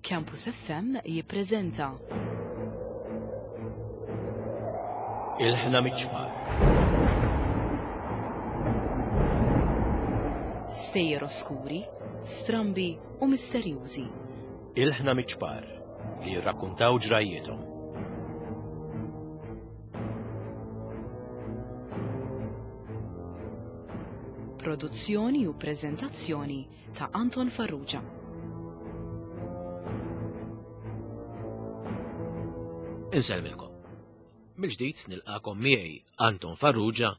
Campus FM jippreżenta. Il-ħna miċ-ċfar. Stejjer oskuri, strambi u misterjużi. Il-ħna miċ-ċpar li jirrakkuntaw ġrajjiethom. Produzzjoni u preżentazzjoni ta' Anton Farrugia. Insellmilkom. Mill-ġdid nilqakom miegħi Anton Farrugia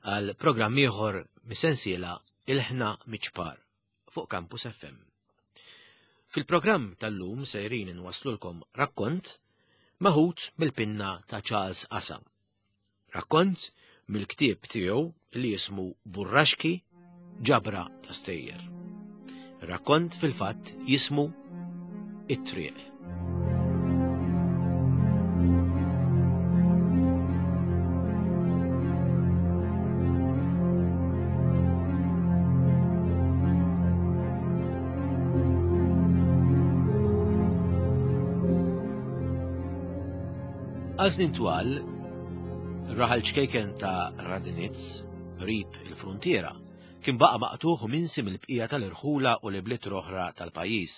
għal programm ieħor mis-sensiela Il-ħna miċ-ċpar fuq Campus FM. Fil-programm tal-lum sejrin inwaslulkom rakkont meħud mill-pinna ta' Charles Asa. Rakkont mill-ktieb tiegħu li jismu Burraxki ġabra ta' stejjer. Rakkont fil-fatt jismu It-Triq. Għal snin twal, raħal ċkejken ta' Radnitz, qrib il-fruntiera, kien baqa' maqtugħ u minsi mill-bqija tal-irħula u l-ibliet l-oħra tal-pajjiż.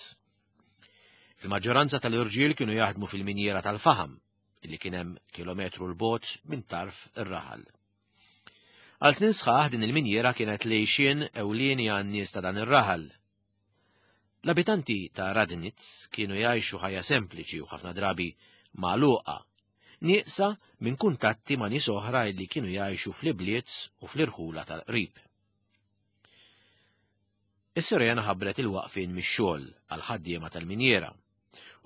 Il-maġġoranza tal-irġiel kienu jaħdmu fil-minjiera tal-faħam, li kien hemm kilometru 'l bogħod minn tarf ir-raħal. Għal snin sħaħ din il-minjiera kienet l-għixien ewlieni għan-nies ta' dan ir-raħal. L-abitanti ta' Radnitz kienu jgħixu ħajja sempliċi u ħafna drabi magħluqa, nieqsa minn kuntatti ma' nies oħra li kienu jgħixu fl-ibliet u fl-irħula tal-qrib. Is-sirena ħabbret il-waqfien mix-xogħol għall-ħaddiema tal-minjiera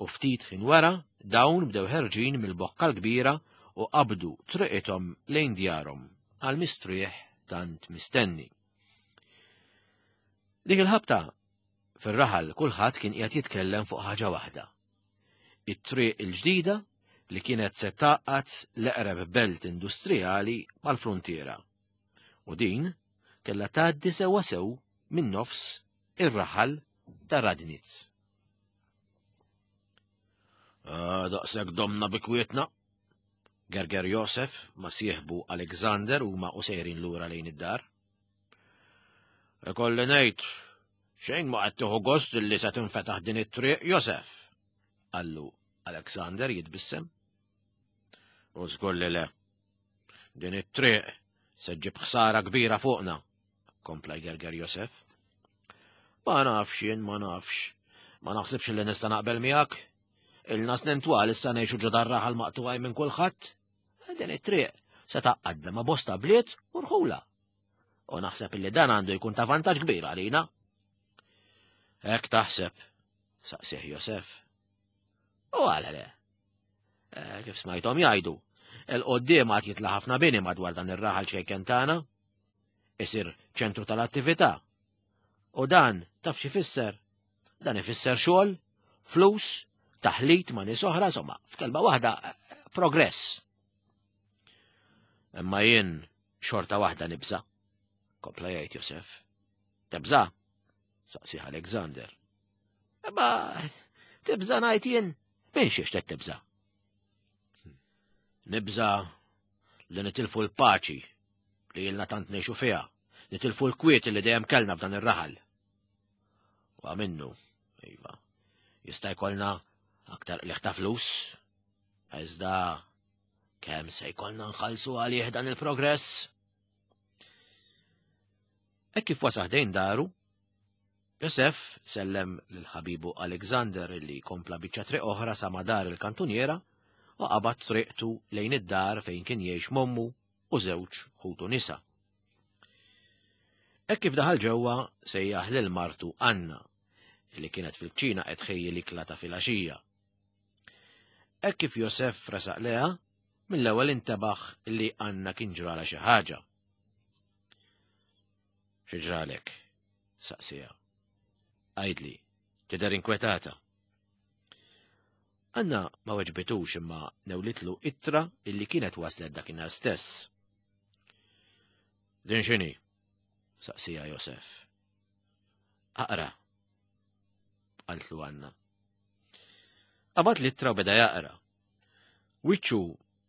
u ftit ħin wara dawn bdew ħerġin mill-bokka l-kbira u qabdu triqithom lejn djarhom għal mistrieħ tant mistenni. Dik il-ħabta fir-raħal kulħadd kien qiegħed jitkellem fuq ħaġa waħda. It-triq il-ġdida li kienet se tgħaqqad l-eqreb belt industrijali mal-fruntiera. U din kellha tgħaddi sewwa sew minn nofs ir-raħal ta' Radnitz. Ah, daqshekk domna bi kwietna. Gerger Josef ma sieħbu Alexander huma u sejrin lura lejn id-dar. Ikolli ngħid, xejn ma qed tieħu gost li se tinfetaħ din it-triq, Josef, qallu Alexander jitbissem. U żgur li le. Din it-triq se ġġib ħsara kbira fuqna, kompla jgerger Josef. Ma nafx jien, ma nafx. Ma naħsibx li nista' naqbel miegħek. Ilna snin twal issa ngħixu ġo dar raħal maqtugħin minn kulħadd. Din it-triq se tgħaqqadna ma' bosta bliet u rħula. U naħseb illi dan għandu jkun ta' vantaġġ kbir għalina. Hekk taħseb, saqsih Josef. U għala le. Eh, kif smajthom jgħidu, il-qoddim għad jitla ħafna bini madwar dan ir-raħal ċkejken tagħna. Isir ċentru tal-attività. U dan taf xi fisser? Dan ifisser xogħol, flus, taħlit ma' nies oħra, insomma, f'kelma waħda progress. Imma jien xorta waħda nibża, kompla jgħid Josef. Tibża? Saqsih Alexander. Imma tibża ngħid jien, minn xiex qed tibża? Nibża li nitilfu l-paċi li jilna tant ngħixu fiha, nitilfu l-kwiet li dejjem kellna f'dan ir-raħal. U minnu, iva, jista' jkollna aktar qliħ ta' flus, iżda kemm se jkollna nħallsu għalih dan il-progress? Hekk kif wasal ħdejn daru, Josef sellem lil ħabibu Alexander li kompla biċċa triq oħra sa ma dar il-kantuniera u qabad triqtu lejn id-dar fejn kien jgħix mommu u żewġ ħutu nisa. Hekk kif daħal ġewwa sejjaħ lil martu Anna li kienet fil-kċina qed tħejji l-ikla ta' filgħaxija. Hekk kif Josef resaq leha, mill-ewwel intebaħ li Anna kien ġrala xi ħaġa. Xi ġralek? saqsiha. Għidli, tidher inkwetata. Anna ma weġbitux imma newlitlu ittra illi kienet waslet dakinhar stess. Din x'inhi? saqsija Josef. Aqra, qaltlu Anna. Qabad l-ittra u beda jaqra. Wiċċu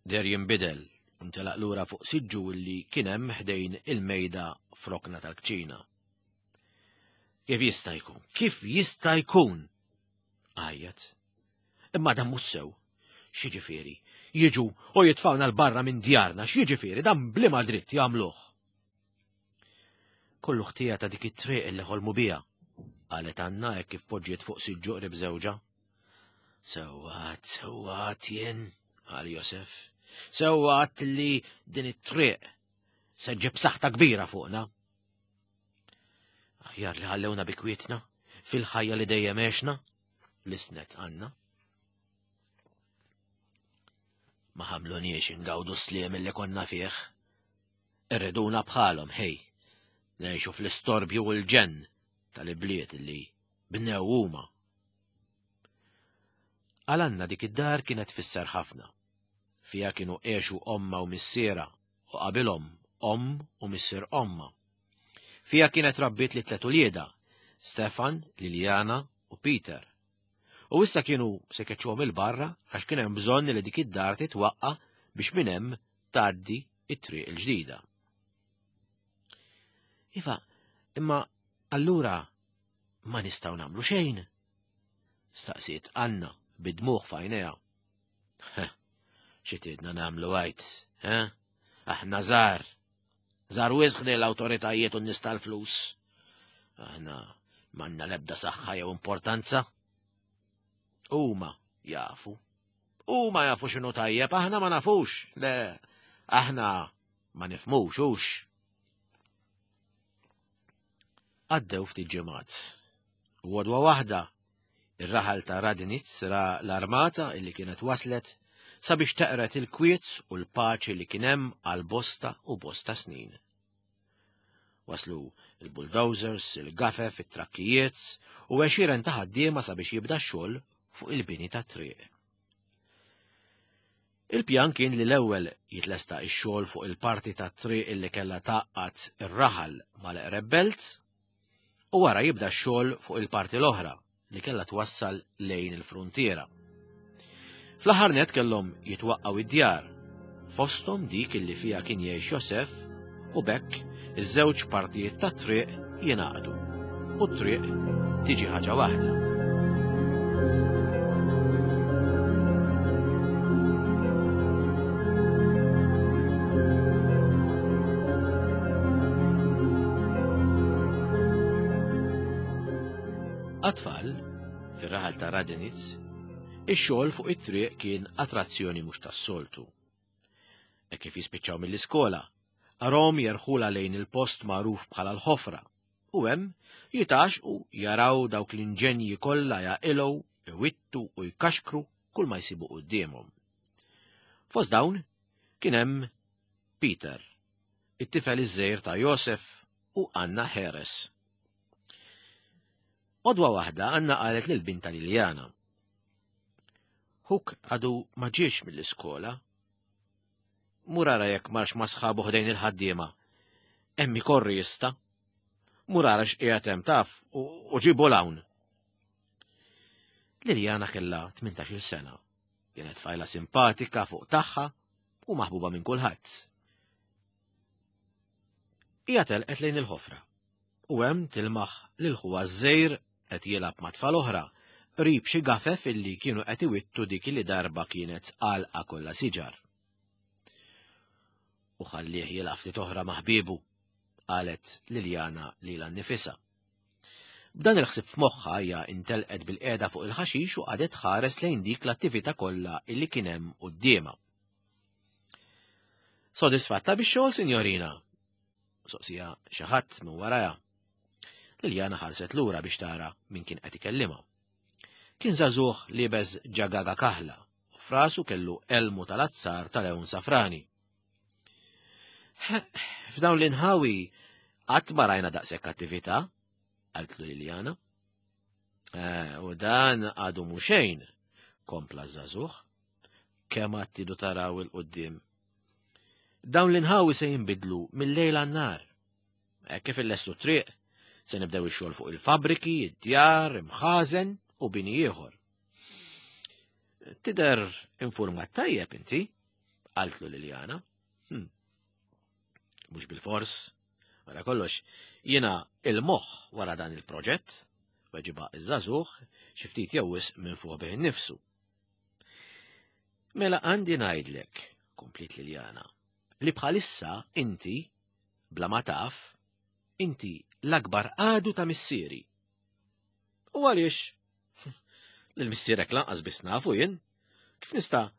deher jinbidel u ntelaq lura fuq siġġu li kien hemm ħdejn il-mejda f'rokna tal-kċina. Kif jista' jkun? Kif jista' jkun? Għajjat. Imma dan mhux sew. X'jiġifieri? Jiġu u jitfgħuna 'l barra minn djarna, x'jiġifieri dan bliema dritt jagħmluh? Kollu ħtija ta' dik it-triq li ħolmu biha, qalet Anna hekk kif poġġiet fuq siġġu qrib żewġha. Sewwa sewwa jien, qal Josef. Sewwa li din it-triq se ġib saħta kbira fuqna. Aħjar li ħallewna bi kwietna fil-ħajja li dejjem għexna, lisnet Anna. Ma ħamluniex ingawdu sliem li konna fih. Irriduna bħalhom, ħej, ngħixu fl-istorbju u l-ġenn tal-ibliet li bnew huma. Għal Anna dik id-dar kienet tfisser ħafna. Fiha kienu għexu omma u missiera u qabilhom omm u missier omma. Fiha kienet rabbiet li tlet uliedha, Stefan, Liliana u Peter. U issa kienu se keċċuhom il-barra għax kien hemm bżonn li dik id-dar titwaqqa biex minn hemm tgħaddi it-triq il-ġdida. Iva, imma allura ma nistgħu nagħmlu xejn? Staqsiet Anna bid-dmugħ f'għajnejha. Xi tidna nagħmlu għajt, eh? Aħna żgħar. Żgħar wisq li l-awtoritajiet u n-nies tal-flus. Aħna m'għandna l-ebda saħħa jew importanza. Huma jafu. Huma jafu x'inhu tajjeb, aħna ma nafux. Le, aħna ma nifmux hux. Għaddew ftit ġimgħat. U għodwa waħda, ir-raħal ta' Radinitz ra l-armata illi kienet waslet sabiex teqret il-kwiet u l-paċi li kien hemm għal bosta u bosta snin. Waslu il-bulldozers, il-gafef, it-trakkijiet u għexieren ta' ħaddiema sabiex jibda x-xogħol fuq il-bini tat-triq. Il-pjan kien li l-ewwel jitlesta x-xogħol fuq il-parti tat-triq illi kellha tgħaqqad ir-raħal mal-eqreb belt u wara jibda x-xogħol fuq il-parti l-oħra li kellha twassal lejn il-fruntiera. Fl-aħħar net kellhom jitwaqqgħu id-djar, fosthom dik illi fiha kien jgħix Josef u b'hekk iż-żewġ partijiet tat-triq jingħaqdu u t-triq tiġi ħaġa waħda. Għat-tfal, fir-raħal ta' Radinitz, ix-xogħol fuq it-triq kien attrazzjoni mhux tas-soltu. Hekk kif jispiċċaw mill-iskola, arahom jerħulha lejn il-post magħruf bħala l-ħofra, u hemm jitgħaxqu jaraw dawk l-inġenji kollha jaqilgħu, iwittu u jkaxkru kull ma jsibu quddiemhom. Fost dawn kien hemm Peter, it-tifel iż-żgħir ta' Josef u Anna Heres. Għodwa waħda Anna qalet lil binta Liliana. Ħuk għadu ma ġiex mill-iskola. Mur ara jekk marx ma' sħabu ħdejn il-ħaddiema. Hemm ikorri jista'. Mur ara x'qiegħed hemm taf u ġibu l-hawn. Liliana kellha 18-il sena. Kienet tfajla simpatika fuq tagħha u maħbuba minn kulħadd. Hija telqet lejn il-ħofra u hemm tilmaħ lil ħuha ż-żgħir qed jilgħab ma' tfal oħra qrib xi gafef illi kienu qed iwittu dik li darba kienet għalqa kollha siġar. U ħallih jilgħab ftit oħra ma' ħbiebu, qalet Liliana lilha nnifisha. B'dan il-ħsieb f'moħħha hija intelqet bil-qiegħda fuq il-ħaxix u qagħdet tħares lejn dik l-attività kollha illi kien hemm quddiemha. Sodisfatta bix-xogħol, sinjorina? Soqsija xi ħadd minn warajha. Liljana ħarset lura biex tara min kien qed ikellimha. Kien żagħżugħ liebes ġagaga kaħla u frasu kellu elmu tal-azzar tal-ewn safrani. F'dawn l-inħawi qatt ma rajna daqshekk attività, qaltlu Liljana. Eh, u dan għadu mhu xejn, kompla żagħżugħ. Kemm għad tidu taraw il-qudiem. Dawn l-inħawi se jinbidlu mill-lejl għan-nar. Hekk kif illestu triq, se nibdew ix-xogħol fuq il-fabbriki, id-djar, imħażen u bini ieħor. Tidher informat tajjeb inti, qaltlu Liliana. Hmm. Mhux bil-fors, wara kollox, jiena il-moħħ wara dan il-proġett, weġiba iż-żagħżugħ xi ftit jew wisq minn fuq bih innifsu. Mela għandi ngħidlek, kompliet Liliana, li bħalissa inti, bla ma taf, inti l-akbar għadu ta' missieri. U għaliex? Lil missierek lanqas biss nafu jien. Kif nista'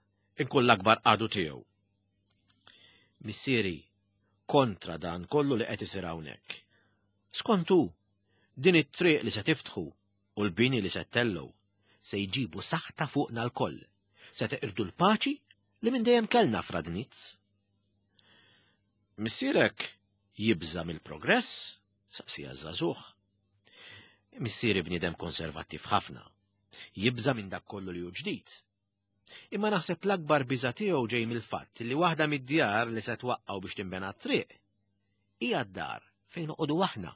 inkun l-akbar għadu tiegħu? Missieri kontra dan kollu li qed isir hawnhekk. Skontu, din it-triq li se tiftħu u l-bini li se ttellgħu se jġibu saħta fuqna lkoll, se teqirdu l-paċi li minn dejjem kellna f'Radnitz. Missierek jibża' mill-progress? saqsija ż-żagħżugħ. Missieri bniedem konservattiv ħafna. Jibża' minn dak kollu li hu ġdid. Imma naħseb l-akbar biża' tiegħu ġej mill-fatt li waħda mid-djar li se twaqqgħu biex tinbena t-triq hija d-dar fejn noqogħdu aħna.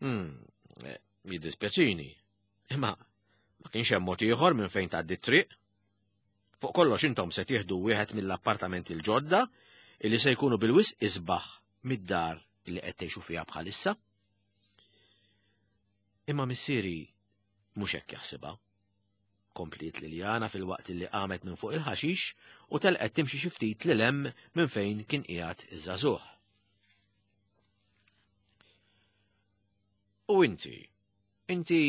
Hmm, eh, jiddispjaċini. Imma ma kienx hemm mod ieħor minn fejn tgħaddi t-triq. Fuq kollox intom se tieħdu wieħed mill-appartamenti l-ġodda illi se jkunu bil-wisq isbaħ mid-dar li qed tgħixu fiha bħalissa. Imma missieri mhux hekk jaħsibha. Kompliet Liliana filwaqt li qamet minn fuq il-ħaxix u telqet timxi xi ftit lil hemm minn fejn kien qiegħed iż-żagħżugħ. U inti, inti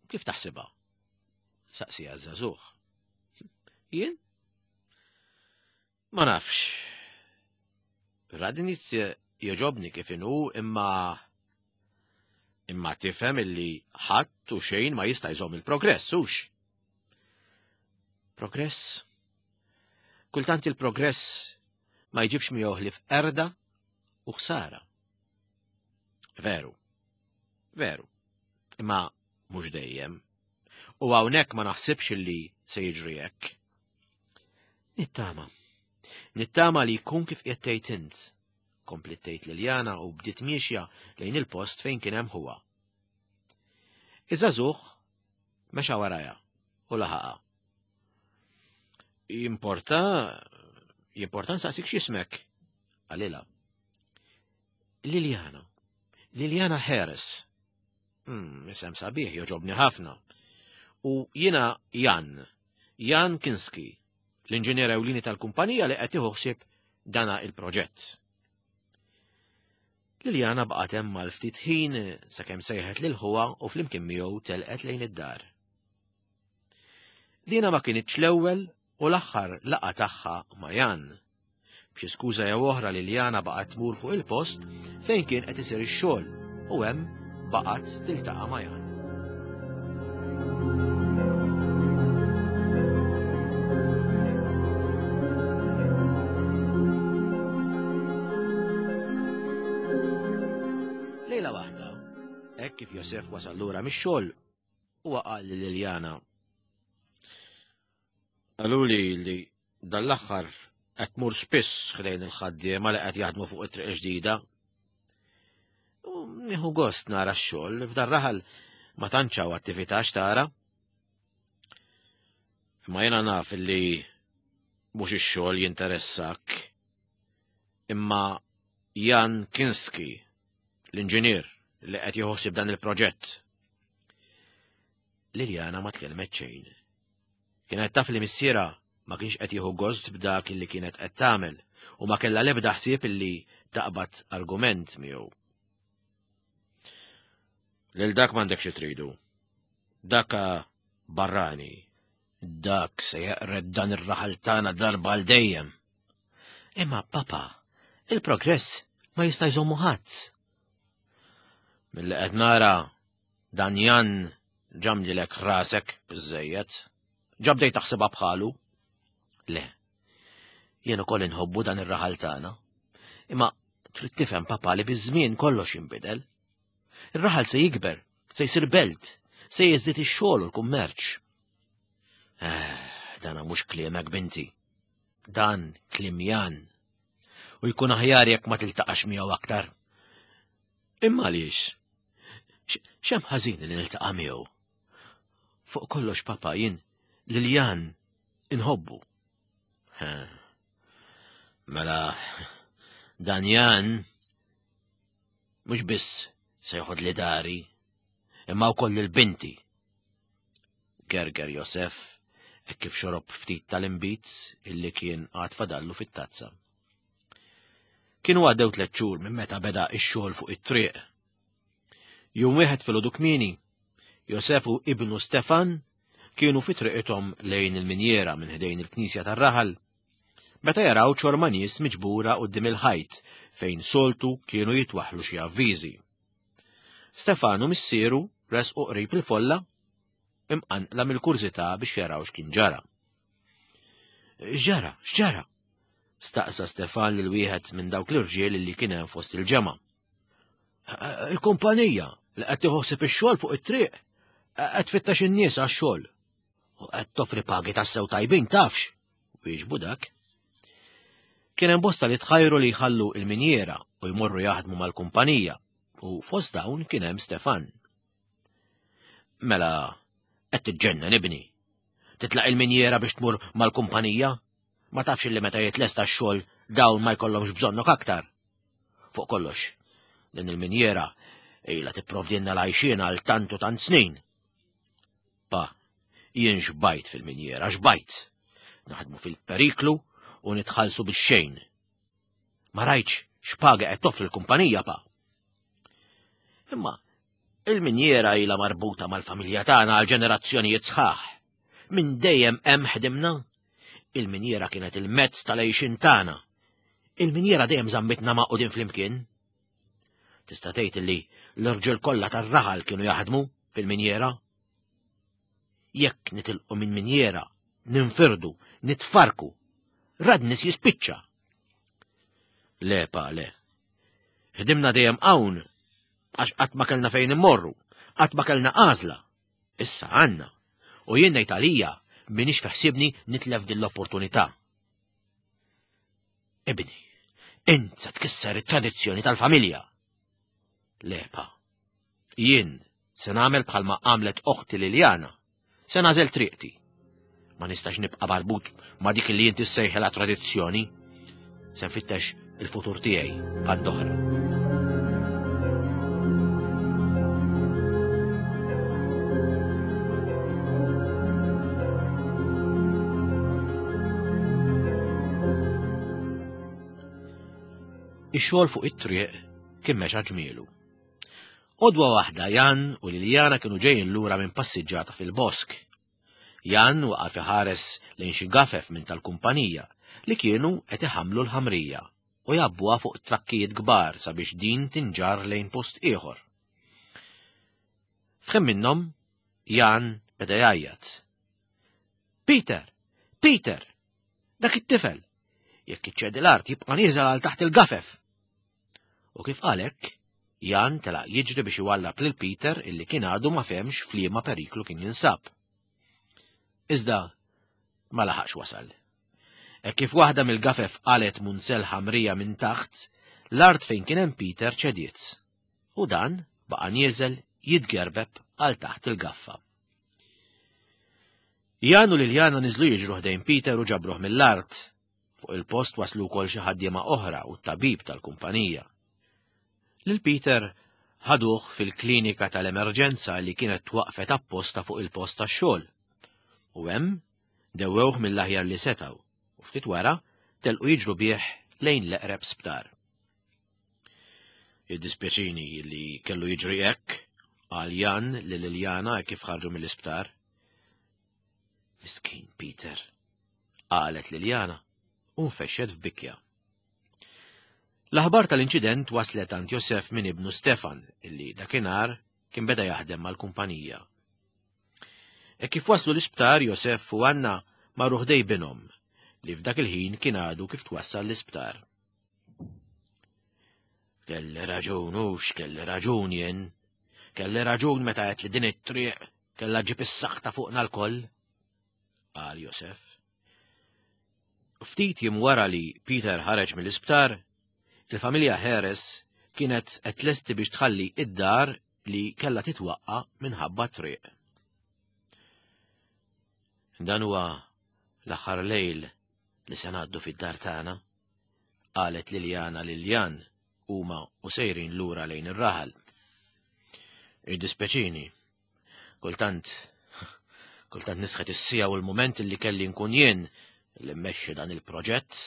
kif taħsibha? Saqsija ż-żagħżugħ. Jien? Ma nafx. Radnitz jogħġobni kif inhu imma imma tifhem illi ħadd u xejn ma jista' jżomm il-progress, hux? Progress? Kultant il-progress ma jġibx miegħu ħlief qerda u ħsara. Veru. Veru. Imma mhux dejjem. U hawnhekk ma naħsibx illi se jiġri hekk. Nittama. Nittama li jkun kif qiegħed tgħid int. Kompliet tgħid Liliana u bdiet miexja lejn il-post fejn kien hemm ħuha. Iż-żagħżugħ mexa warajha u laħaqha. Jimporta, jimporta nsaqsik x'ismek, qalilha. Liliana. Liliana Harris. Hmm, isem sabiħ joġobni ħafna. U jiena Jan, Jan Kinski, l-inġinier ewlieni tal-kumpanija li qed jieħu ħsieb dana il-proġett. Liliana baqgħet hemm għal ftit ħin sakemm sejħet lil ħuha u flimkien miegħu telqet lejn id-dar. Dina ma kinitx l-ewwel u l-aħħar laqgħa tagħha ma' Jan. B'xi skuża jew oħra Liliana baqgħet tmur fuq il-post fejn kien qed isir ix-xogħol u hemm baqgħet tiltaqa' ma' Jan. Lejla waħda, hekk kif Josef wasal lura mix-xogħol, huwa qal lil Liliana. Qaluli li dan l-aħħar qed tmur spiss ħdejn il-ħaddiema li qed jaħdmu fuq it-triq ġdida. U nieħu gost nara x-xogħol f'dan raħal ma tantx hawn attività x'tara. Imma jiena naf li mhux ix-xogħol jinteressak. Imma Jan Kinski, l-inġinier li qed jieħu ħsieb dan il-proġett. Liliana ma tkellmet xejn. Kienet taf li missierha ma kienx qed jieħu gost b'dak li kienet qed tagħmel u ma kellha l-ebda ħsieb illi taqbad argument miegħu. Lil dak m'għandek xi tridu. Dak barrani. Dak se jeqred dan ir-raħal tagħna darba għal dejjem. Imma papa, il-progress ma jista' jżommu ħadd. Milli qed nara Dan Jan ġamlilek rasek biżżejjed. Ġa bdejt taħsibha bħalu. Le. Jien ukoll inħobbu dan ir-raħal tagħna. Imma trid tifhem papa li biż-żmien kollox jinbidel. Ir-raħal se jikber, se jsir belt, se jiżdied ix-xogħol u l-kummerċ. Eh, dana mhux kliemek binti. Dan kliem Jan. U jkun aħjar jekk ma tiltaqax miegħu aktar. Imma għaliex? X'hemm ħażin li niltaqa' miegħu? Fuq kollox papa jien Lil Jan inħobbu. Mela, dan Jan mhux biss se joħodli dari, imma wkoll lil binti. Gerger Josef hekk kif xorob ftit tal-inbid illi kien għad fadallu fit-tazza. Kienu għaddew tliet xhur minn meta beda x-xogħol fuq it-triq. Jum wieħed filgħodu kmieni, Josef u ibnu Stefan kienu fi triqithom lejn il-minjera minn ħdejn il-knisja tar-raħal. Meta jaraw ċorma nies miġbura quddiem il-ħajt fejn soltu kienu jitwaħħlu xi avviżi. Stefan u missieru resqu qrib il-folla imqanqla mill-kurżità biex jaraw x'kien ġara. X'ġara? X'ġara? Staqsa Stefan lil wieħed minn dawk l-irġiel li kien hemm fost il-ġemgħa. Il-kumpanija li qed tieħu ħsieb ix-xogħol fuq it-triq qed tfittex in-nies għax-xogħol. U qed toffri pagi tassew tajbin tafx, wieġbu dak. Kien hemm bosta li tħajru li jħallu il-minjiera u jmorru jaħdmu mal-kumpanija u fost dawn kien hemm Stefan. Mela, qed tiġġennen ibni. Titlaq il-minjiera biex tmur mal-kumpanija? Ma tafx li meta jitlesta x-xogħol dawn ma jkollhomx bżonnok aktar. Fuq kollox, din il-minjiera ilha tipprovdilna l-għajxien għal tant u tant snin. Pa, jien xbajt fil-minjiera, xbajt. Naħdmu fil-periklu u nitħallsu bix-xejn. Ma rajtx x'paga qed toffri l-kumpanija, pa. Imma il-minjiera ilha marbuta mal-familja tagħna għal ġenerazzjonijiet sħaħ. Minn dejjem hemm ħdimna. Il-minjiera kienet il-mezz tal-għixien tagħna. Il-minjiera dejjem żammitna magħqudin flimkien. Tista' tgħid li l-irġiel kollha tar-raħal kienu jaħdmu fil-minjiera. Jekk nitilqu minn minjiera, ninfirdu, nitfarku, radnis jispiċċa. Le, pa, le. Ħdimna dejjem hawn għax qatt ma kellna fejn immorru, qatt ma kellna għażla. Issa għandna. U jien ngħid għalija minix fiħsibni nitlef din l-opportunità. Ibni, int se tkisser it-tradizzjoni tal-familja. Le, pa. Jien se nagħmel bħalma għamlet oħti Liljana. Se nagħżel triqti. Ma nistax nibqa' barbut ma' dik li inti ssejħilha tradizzjoni. Se nfittex il-futur tiegħi band oħra. Ix-xogħol fuq it-triq kien mexa ġmielu. Għodwa waħda Jan u Liljana kienu ġejjin lura minn passiġġata fil-bosk. Jan waqaf iħares lejn xi gafef minn tal-kumpanija li kienu qed iħammlu l-ħamrija u jgħabbuha fuq trakkijiet kbar sabiex din tinġarr lejn post ieħor. F'ħin minnhom, Jan beda jgħajjat. Peter! Peter! Dak it-tifel! Jekk iċċedi l-art jibqa' nieżel għal taħt il-gafef! U kif qal hekk, Jan telaq jiġri biex iwallab lil Peter illi kien għadu ma fehmx f'liema periklu kien jinsab. Iżda ma laħaqx wasal. Hekk kif waħda mill-gafef qalet munzell ħamrija minn taħt, l-art fejn kien hemm Peter ċediet. U dan baqa' nieżel jitgerbeb għal taħt il-gaffa. Jan u Liljana niżlu jiġru ħdejn Peter u ġabruh mill-art. Fuq il-post waslu wkoll xi ħaddiema oħra u t-tabib tal-kumpanija. Lil Peter ħaduh fil-klinika tal-emerġenza li kienet twaqfet apposta fuq il-post tax-xogħol. U hemm dewwewh mill-aħjar li setgħu u ftit wara telqu jiġru bih lejn l-eqreb sptar. Jiddispjaċini li kellu jiġri hekk, qal Jan lil Liljana kif ħarġu mill-isptar. Miskin Peter, qalet Liljana u nfexxet f'bikja. L-aħbar tal-inċident waslet għand Josef minn ibnu Stefan, illi dakinhar kien beda jaħdem mal-kumpanija. E kif waslu l-isptar Josef u Anna marru ħdej binhom, li f'dak il-ħin kien għadu kif twassal l-isptar. Kelli raġun, hux kelli raġun jien. Kelli raġun meta għedt li din it-triq kellha ġib is-saħta fuqna lkoll, qal Josef. Ftit jiem wara li Peter ħareġ mill-isptar, il-familja Harris kienet qed tlesti biex tħalli id-dar li kellha titwaqqa' minħabba t-triq. Dan huwa l-aħħar lejl li se ngħaddu fid-dar tagħna, qalet Liliana lil Jan huma u sejrin lura lejn ir-raħal. Iddispeċini. Kultant, kultant nisħet is-sija u l-mument li kelli nkun jien li mmexxi dan il-proġett.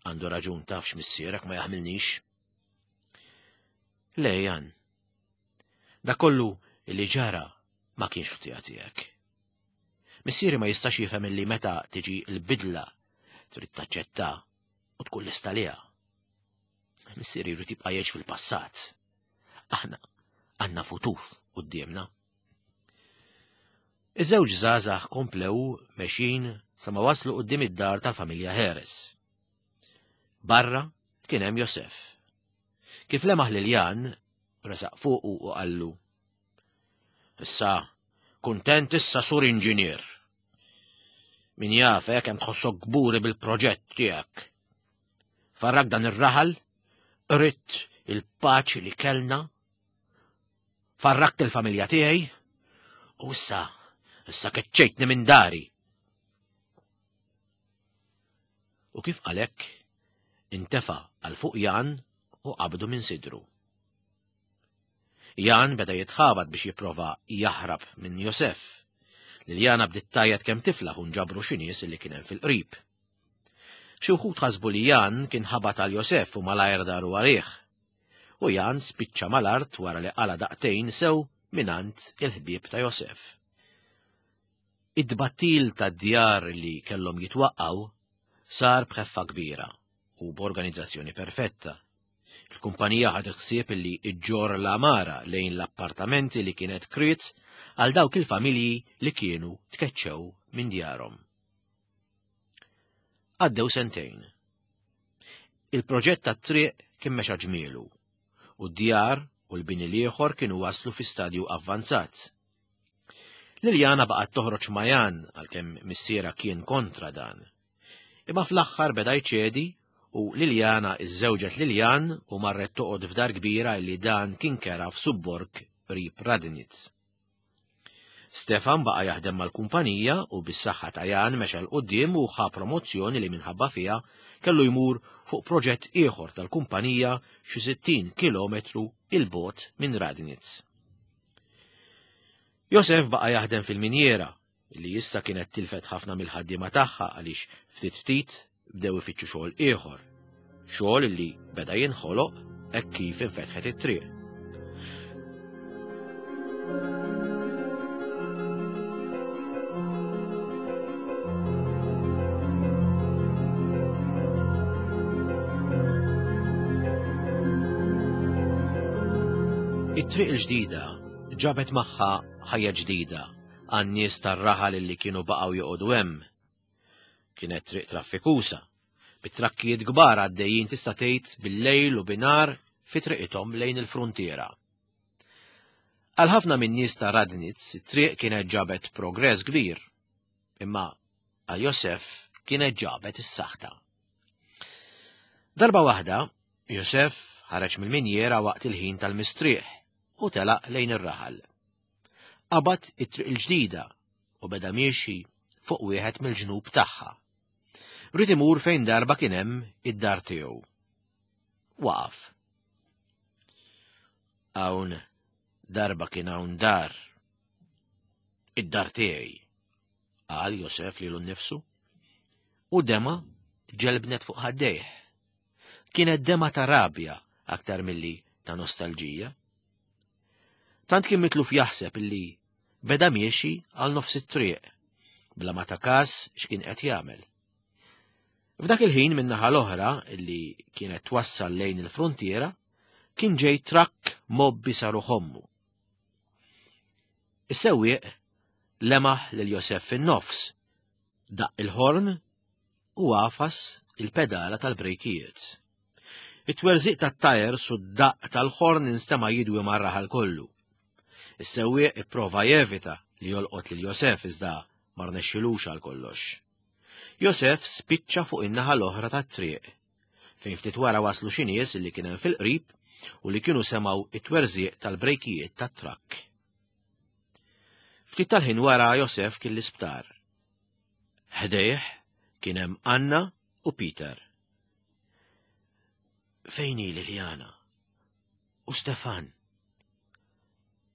Għandu raġun tafx missierek ma jaħmilnix. Le, Jan. Da kollu li ġara ma kienx ħtija tiegħek. Missieri ma jistax jifhem illi meta tiġi l-bidla trid taċċetta u tkun lesta liha. Missieri jrid jibqa' jgħix fil-passat. Aħna għandna futur quddiemna. Iż-żewġ żgħażagħ komplew mexjin sa ma waslu quddiem id-dar tal-familja Harris. Barra kien hemm Josef. Kif lemaħ lil Jan, resaq fuqu u qallu. Issa, kuntent issa sur inġinier. Min jaf eh, kemm tħossok kburi bil-proġett tiegħek. Farrak dan ir-raħal, qritt il-paċi li kellna, farrakt il-familja tiegħi, u issa, issa keċċejtni minn dari. U kif qalek, intefa' għal fuq Jan u qabdu minn sidru. Jan beda jitħabat biex jipprova jaħrab minn Josef. Liljana bdiet tgħajjat kemm tiflaħ u nġabru xi nies li kien hemm fil-qrib. Xi wħud ħasbu li Jan kien ħabat għal Josef u malajr daru għalih. U Jan spiċċa mal-art wara li qala daqtejn sew mingħand il-ħbieb ta' Josef. Id-tbattil tad-djar li kellhom jitwaqqgħu sar b'ħeffa kbira u b'organizzazzjoni perfetta. Il-kumpanija ħadet ħsieb li ġġorr l-għamara lejn l-appartamenti li kienet kriet għal dawk il-familji li kienu tkeċċew minn djarhom. Għaddew sentejn. Il-proġett tat-triq kien mexa ġmielu u d-djar u l-bini l-ieħor kienu waslu fi stadju avvanzat. Liljana baqgħet toħroġ ma' Jan għalkemm missierha kien kontra dan. Imma fl-aħħar beda jċedi u Liljana iżżewġet lil Jan u marret toqgħod f'dar kbira li dan kien kera f'subborg qrib Radnitz. Stefan baqa' jaħdem mal-kumpanija u bis-saħħa ta' Jan mexa 'l quddiem u ħa promozzjoni li minħabba fiha kellu jmur fuq proġett ieħor tal-kumpanija xi 60 kilometru 'il bogħod minn Radnitz. Josef baqa' jaħdem fil-minjiera li issa kienet tilfet ħafna mill-ħaddiema tagħha għaliex ftit ftit bdew ifittxu xogħol ieħor. Xogħol li beda jinħoloq hekk kif infetħet it-triq. It-triq il-ġdida ġabet magħha ħajja ġdida għan-nies tar-raħal li kienu baqgħu joqogħdu hemm. Kienet triq traffikusa, bi trakkijiet kbar għaddejjin tista' tgħid bil-lejl u binhar fi triqithom lejn il-fruntiera. Għal ħafna min-nies ta' Radnitz it-triq kienet ġabet progress kbir, imma għal Josef kienet ġabet is-saħta. Darba waħda, Josef ħareġ mill-minjiera waqt il-ħin tal-mistrieħ u telaq lejn ir-raħal. Qabad it-triq il-ġdida u beda miexi fuq wieħed mill-ġnub tagħha. Ried imur fejn darba kien hemm id-dar tiegħu. Waqaf. Hawn darba kien hawn dar. Id-dar tiegħi, qal Josef lilu nnifsu. U dema ġelbnet fuq ħaddejh. Kienet dema ta' rabja aktar milli ta' nostalġija. Tant kien mitluf jaħseb illi beda miexi għal nofs it-triq, bla ma ta' kas x'kien qed jagħmel. F'dak il-ħin min-naħa l-oħra illi kienet twassal lejn il-frontiera, kien ġej trakk mobbi saru ħommu. Is-sewwieq lemaħ lil Josef fin-nofs, daqq il-ħorn u għafas il-pedala tal-brejkijiet. It-twerżiq tat-tajers u d-daqq tal-ħorn instema' jidwi mar-raħal kollu. Is-sewwieq ipprova jevita li jolqot lil Josef iżda ma rnexxilux għal kollox. Josef spiċċa fuq in-naħa l-oħra tat-triq, fejn ftit wara waslu xi nies li kien hemm fil-qrib u li kienu semgħu it-twerżiq tal-brejkijiet tat-trakk. Ftit tal-ħin wara Josef kien l-isptar. Ħdejh kien hemm Anna u Peter. Fejn hi Liliana? U Stefan?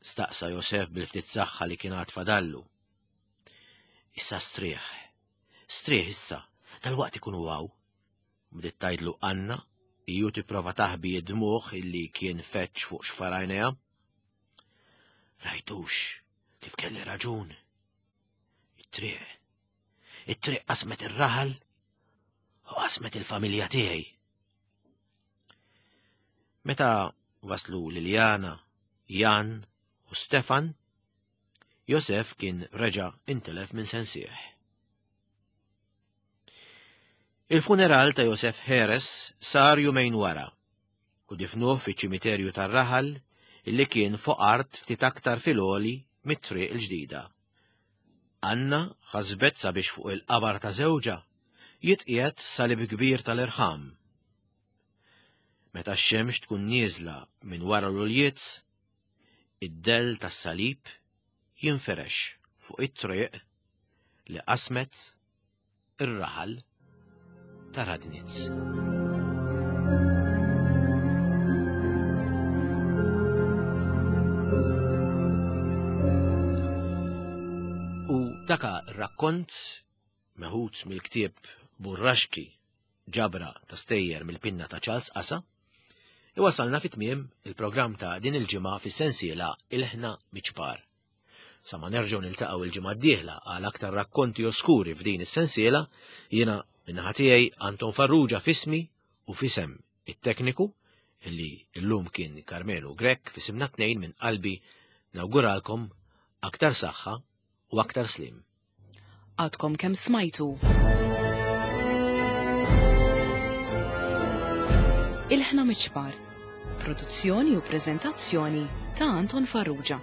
Staqsa Josef bil-ftit saħħa li kien għad fadallu. Issa strieħ. Strieħ issa, dal-waqt ikunu għaw. Bdiet tgħidlu Anna, iju tipprova taħbi id-dmugħ illi kien feċ fuq xfarajnejha. Rajtux kif kelli raġun. It-triq. It-triq qasmet ir-raħal u qasmet il-familja tiegħi. Meta waslu Liliana, Jan u Stefan, Josef kien reġa' intelef minn sensieħ. Il-funeral ta' Josef Heres sar jumejn wara u difnuh fiċ-ċimiterju tar-raħal illi kien fuq art ftit aktar fil-għoli mit-triq il-ġdida. Anna ħasbet sabiex fuq il-qabar ta' żewġha jitqiegħed salib kbir tal-irħam. Meta x-xemx tkun nieżla minn wara l-uljiet, id-dell tas-salib jinfirex fuq it-triq li qasmet ir-raħal ta' Radnitz. U daka rakkont meħud mill-ktieb Burraxki ġabra ta' stejjer mill-pinna ta' Charles Asa, iwasalna fi tmiem il-programm ta' din il-ġimgħa fis-sensiela Ilħna Miċpar. Sa ma nerġgħu niltaqgħu il-ġimgħa d-dieħla għal aktar rakkonti oskuri f'din is-sensiela, jiena min-naħa tiegħi Anton Farrugia f'ismi u f'isem it-tekniku illi llum kien Carmelo Grech f'isimna tnejn minn qalbi nawguralkom aktar saħħa u aktar slim. Għadkom kemm smajtu. Ilħna Miċpar. Produzzjoni u preżentazzjoni ta' Anton Farrugia.